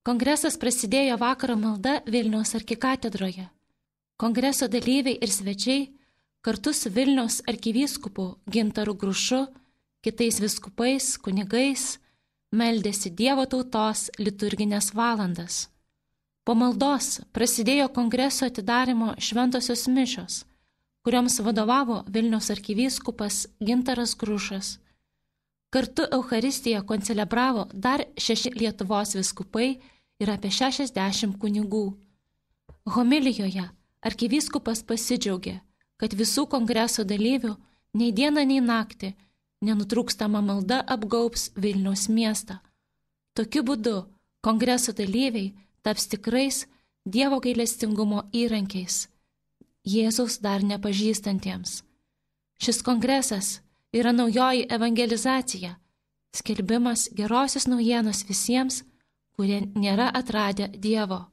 Kongresas prasidėjo vakaro malda Vilniaus arkikatedroje. Kongreso dalyviai ir svečiai kartu su Vilniaus arkivyskupu Gintaru Grušu, kitais vyskupais, kunigais, meldėsi Dievo tautos liturginės valandas. Po maldos prasidėjo kongreso atidarimo šventosios mišios, kurioms vadovavo Vilniaus arkivyskupas Gintaras Grušas. Kartu Eucharistiją koncelebravo dar 6 Lietuvos vyskupai ir apie 60 kunigų. Homilijoje arkivyskupas pasidžiaugė, kad visų kongreso dalyvių nei dieną, nei naktį nenutrūkstama malda apgaubs Vilniaus miestą. Tokiu būdu kongreso dalyviai taps tikrais Dievo gailestingumo įrankiais, Jėzaus dar nepažįstantiems. Šis kongresas yra naujoji evangelizacija, skelbimas gerosios naujienos visiems, kurie nėra atradę Dievo.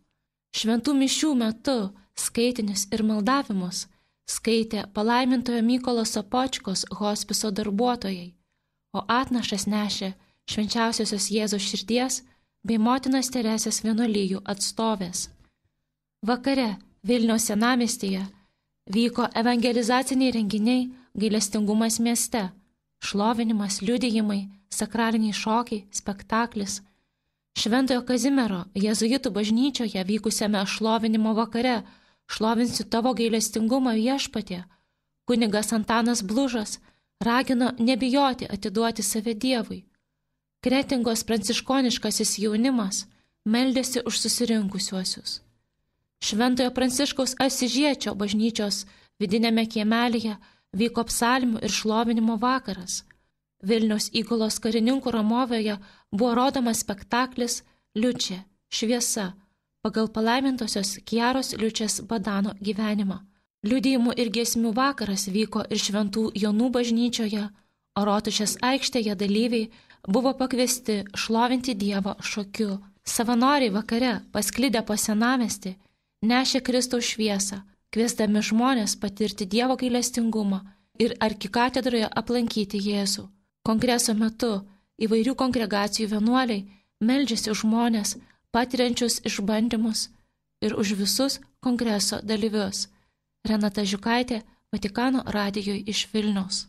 Šventų mišių metu skaitinius ir maldavimus skaitė palaimintojo Mykolo Sopočkos hospiso darbuotojai, o atnašas nešė švenčiausiosios Jėzaus širdies bei motinos Teresės vienuolijų atstovės. Vakare Vilniaus senamiestyje vyko evangelizaciniai renginiai Gailestingumas mieste, šlovinimas, liudijimai, sakraliniai šokiai, spektaklis. Šventojo Kazimiero jėzuitų bažnyčioje vykusiame šlovinimo vakare Šlovinsiu tavo gailestingumą viešpatie, kunigas Antanas Blužas ragino nebijoti atiduoti save Dievui. Kretingos pranciškoniškasis jaunimas meldėsi už susirinkusiuosius. Šventojo Pranciškaus Asižiečio bažnyčios vidinėme kiemelėje vyko psalmių ir šlovinimo vakaras. Vilniaus įgulos karininkų Ramovėje buvo rodomas spektaklis Liučė, šviesa, pagal palaimintosios Kiaros Liučės Badano gyvenimą. Liudijimų ir giesmių vakaras vyko ir Šventų Jonų bažnyčioje, o Rotušės aikštėje dalyviai buvo pakviesti šlovinti Dievą šokiu. Savanoriai vakare, pasklidę po senamiestį, nešė Kristaus šviesą, kviesdami žmonės patirti Dievo gailestingumą ir arkikatedroje aplankyti Jėzų. Kongreso metu įvairių kongregacijų vienuoliai meldžiasi už žmonės, patiriančius išbandymus ir už visus kongreso dalyvius. Renata Žiukaitė, Vatikano radijui iš Vilniaus.